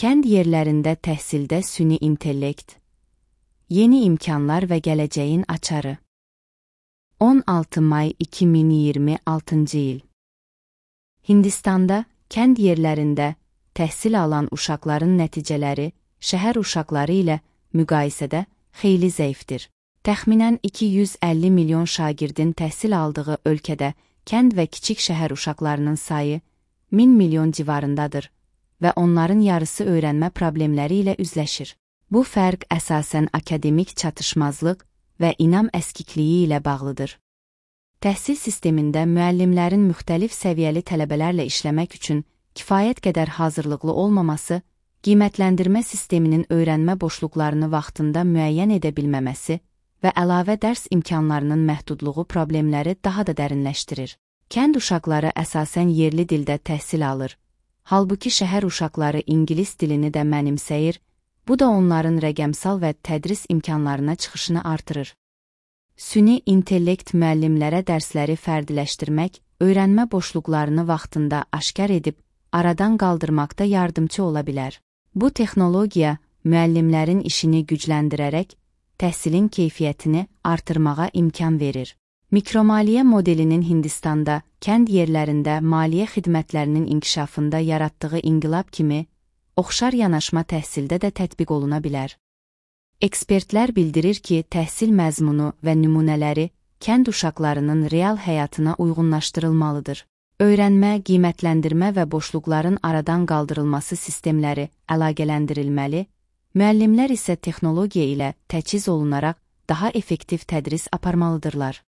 Kənd yerlərində təhsildə süni intellekt, yeni imkanlar və gələcəyin açarı. 16 may 2026 il. Hindistanda kənd yerlərində təhsil alan uşaqların nəticələri şəhər uşaqları ilə müqayisədə xeyli zəifdir. Təxminən 250 milyon şagirdin təhsil aldığı ölkədə kənd və kiçik şəhər uşaqlarının sayı 1000 milyon civarındadır və onların yarısı öyrənmə problemləri ilə üzləşir. Bu fərq əsasən akademik çatışmazlıq və inam əskikliyi ilə bağlıdır. Təhsil sistemində müəllimlərin müxtəlif səviyyəli tələbələrlə işləmək üçün kifayət qədər hazırlıqlı olmaması, qiymətləndirmə sisteminin öyrənmə boşluqlarını vaxtında müəyyən edə bilməməsi və əlavə dərs imkanlarının məhdudluğu problemləri daha da dərinləşdirir. Kənd uşaqları əsasən yerli dildə təhsil alır, halbuki şəhər uşaqları ingilis dilini də mənimsəyir, bu da onların rəqəmsal və tədris imkanlarına çıxışını artırır. Süni intellekt müəllimlərə dərsləri fərdiləşdirmək, öyrənmə boşluqlarını vaxtında aşkar edib, aradan qaldırmaqda yardımcı ola bilər. Bu texnologiya müəllimlərin işini gücləndirərək, təhsilin keyfiyyətini artırmağa imkan verir. Mikromaliyyə modelinin Hindistanda, kənd yerlərində maliyyə xidmətlərinin inkişafında yaratdığı inqilab kimi, oxşar yanaşma təhsildə də tətbiq oluna bilər. Ekspertlər bildirir ki, təhsil məzmunu və nümunələri kənd uşaqlarının real həyatına uyğunlaşdırılmalıdır. Öyrənmə, qiymətləndirmə və boşluqların aradan qaldırılması sistemləri əlaqələndirilməli, müəllimlər isə texnologiya ilə təchiz olunaraq daha effektiv tədris aparmalıdırlar.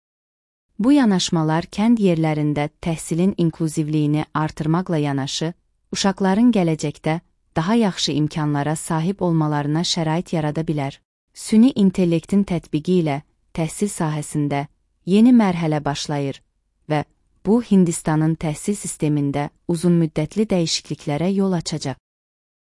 Bu yanaşmalar kənd yerlərində təhsilin inklüzivliyini artırmaqla yanaşı, uşaqların gələcəkdə daha yaxşı imkanlara sahib olmalarına şərait yarada bilər. Süni intellektin tətbiqi ilə təhsil sahəsində yeni mərhələ başlayır və bu Hindistanın təhsil sistemində uzunmüddətli dəyişikliklərə yol açacaq.